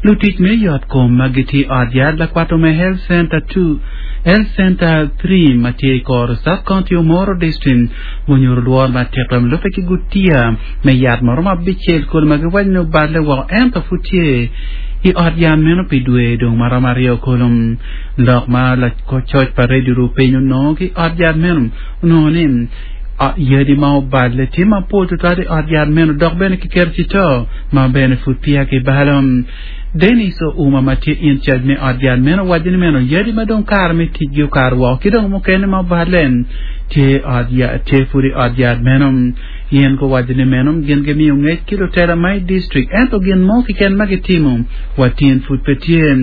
Lutic me yot kom ma gitye i ot yat lakwato me Health Center 2, Health Center 3 ma tye i Koro Sub County Omoro District gunyuto lworo matek ma lubbe ki gutiya me yat ma romo abicel kodi ma giwaco ni oballe woko ento pud tye i ot yat meno pi dwe dong ma romo aryo kulu. Lok ma lacoc pa redio Rupiny onongo ki i ot yat meno onongo ni yadi ma oballe tye mapol tutwal i ot yat meno dok bene kiketo cito ma bene pud peya kibalo. Dennis Ouma ma tye in charge me ot yat meno owaco ni meno yadi ma dong kare me ticgi okato woko ki dong mukene ma oballe tye ot yat tye pud i ot yat meno. Gin guwaco ni meno gin gimiyo ngec ki lutela ma i distrik ento gin mo keken ma gitimo wa tyen pud pe tye.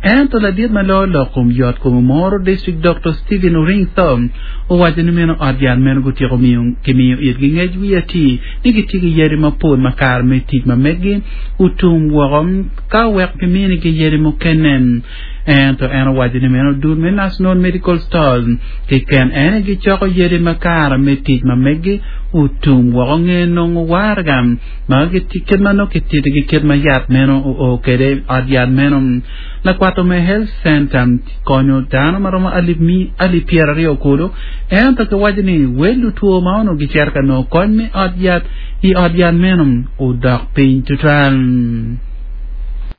Ento ladit ma loyo lok kom yot kom Omoro District Doktor Stephen Oringtho owaco ni meno ot yat meno gutyeko miyo kimiyo itgi ngec wiye atir ni gitye ki yadi mapol ma kare me tic ma meggi otum woko ka wek kiminigi yadi mukene. Ento en owaco ni meno dul me National Medical Stores keken en aye gicoko yadi ma kare me tic ma meggi otum woko nge nongo waraga ma kit ma nongo kititigi kit ma yat meno oo kwede i ot yat meno. Lakwato me Health Center konyo dano ma romo alip 200 kulu ento kiwaco ni wel lutwo ma onongo gicito ka nongo kony me ot yat i ot yat meno odok piny tutwal.